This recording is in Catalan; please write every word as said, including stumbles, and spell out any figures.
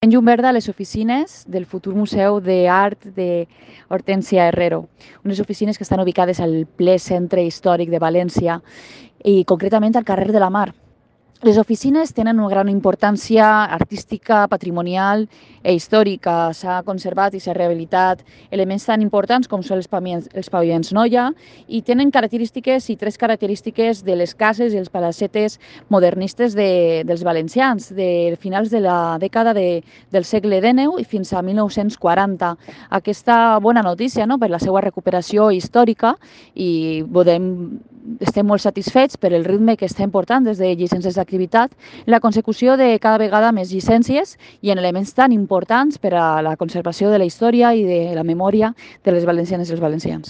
En llum verda a les oficines del futur Museu d'Art de Hortensia Herrero, unes oficines que estan ubicades al ple centre històric de València i concretament al carrer de la Mar. Les oficines tenen una gran importància artística, patrimonial i històrica. S'ha conservat i s'ha rehabilitat elements tan importants com són els paviments, els paviments Noia i tenen característiques i tres característiques de les cases i els palacetes modernistes de, dels valencians, de finals de la dècada de, del segle dinou i fins a mil nou-cents quaranta. Aquesta bona notícia, no?, per la seva recuperació històrica i podem estem molt satisfets per el ritme que estem portant des de llicències d'activitat, la consecució de cada vegada més llicències i en elements tan importants per a la conservació de la història i de la memòria de les valencianes i els valencians.